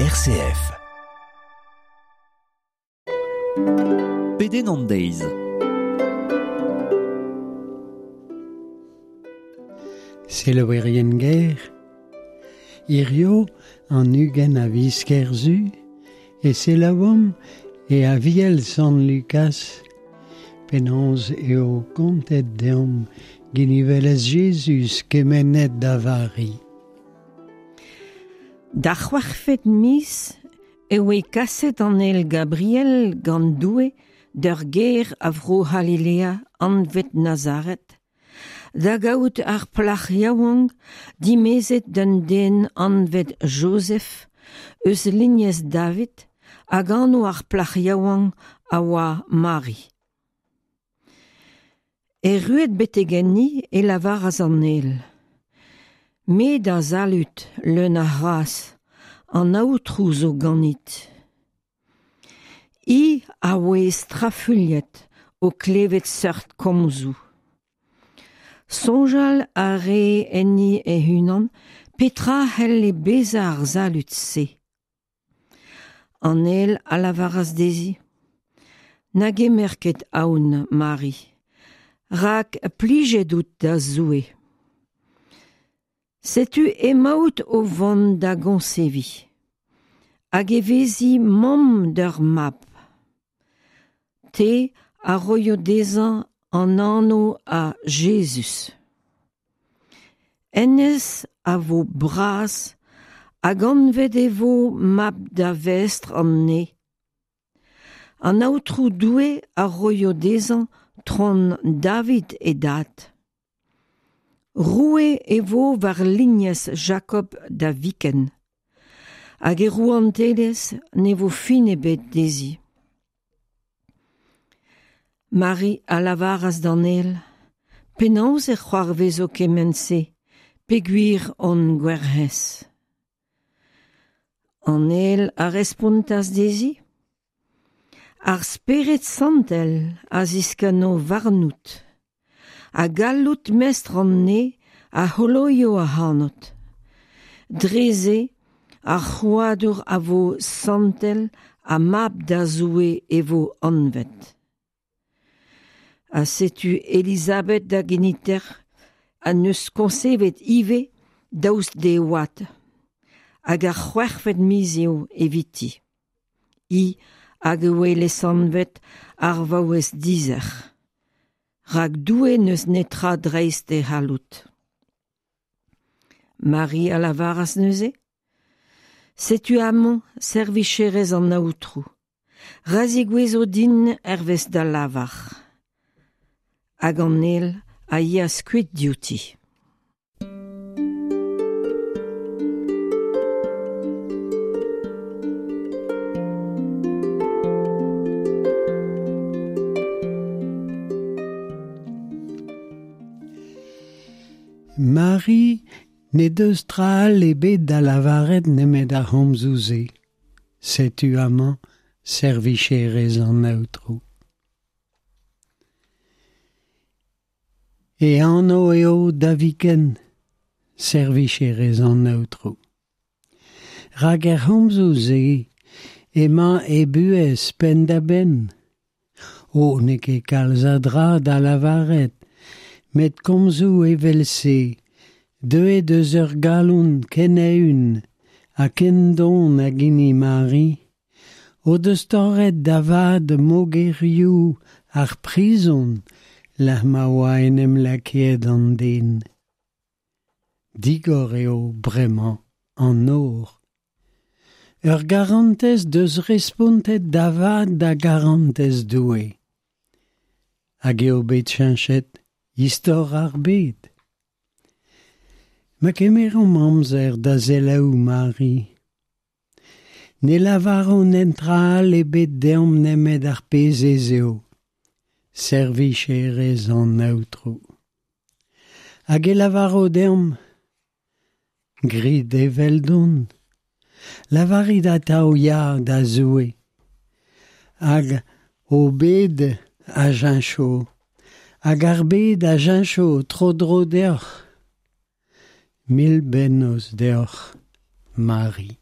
RCF. Pedenn an deiz. Selaouerien ger, hirio an 20 a viz Kerzu e selaouomp e Aviel Sant Lukas penaos eo kontet deomp ginivelezh Jezuz kemennet da Vari. D'ar c'hwec'hvet miz e oe kaset an ael Gabriel gant Doue d'ur gêr a vro C'halilea anvet Nazaret, da gaout ar plac'h yaouank dimezet d'un den anvet Jozef eus lignez David hag anv ar plac'h yaouank a oa Mari. Erruet betek enni e lavaras an ael: Me da salud, leun a c'hras, an Aotrou zo ganit. Hi a oe strafuilhet o klevet seurt komzoù. Soñjal a rae enni hec'h-unan petra c'helle bezañ ar salud-se. An ael a lavaras dezhi: Na gemer ket aon, Mari, rak plijet out da Zoue. Setu emaout o vont da goñseviñ, hag e vezi mamm d'ur mab. Te a roio dezhañ an anv a Jezuz. Hennezh a vo bras hag anvet e vo mab da Vestr an Neñv. An Aotrou Doue a roio dezhañ tron David e dad. Roue e vo war lignez Jakob da viken, hag e rouantelezh ne vo fin ebet dezhi. Mari a lavaras d'an ael: Penaos e c'hoarvezo kement-se, peogwir on gwerc'hez? An ael a respontas dezhi: Ar Spered Santel a ziskenno warnout, ha galloud Mestr an Neñv a c'holoio ac'hanout. Dre-se ar c'hrouadur a vo santel ha mab da Zoue e vo anvet. Ha setu Elizabed da geniter ha 'neus koñsevet ivez daoust d'he oad, hag ar c'hwec'hvet miz eo eviti. Hi hag e oe lesanvet ar vaouez dizec'h. Rak Doue n'eus netra dreist e c'halloud. Mari a lavaras neuze: Setu amañ servicherez an Aotrou. Ra zigouezo din hervez da lavar. Hag an ael a yeas kuit diouti. Mari n'he deus tra all ebet da lavaret nemet ar c'homzoù-se. Setu amañ servicherez an Aotrou. E anv eo da viken, servicherez an Aotrou. Rak er c'homzoù-se emañ e buhez penn-da-benn. O, n'eo ket kalz a dra da lavaret, met komzoù evel-se, deuet eus ur galon ken eeun ha ken don hag hini Mari, o deus torret da vat mogerioù ar prizon lec'h ma oa en em lakaet an den. Digor eo bremañ an nor. Ur garantez deus respontet da vat da garantez Doue. Hag eo bet cheñchet istor ar bed. Ma kemeromp amzer da selaou Mari. Ne lavaront netra all ebet deomp nemet ar pezh ez eo, servicherez an Aotrou. Hag e lavaro deomp, grit eveldon, lavarit atav ya da Zoue, hag ho bed a cheñcho, hag ar bed a cheñcho tro-dro deoc'h. Mil bennozh deoc'h, Mari.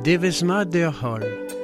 Devezh mat deoc'h holl.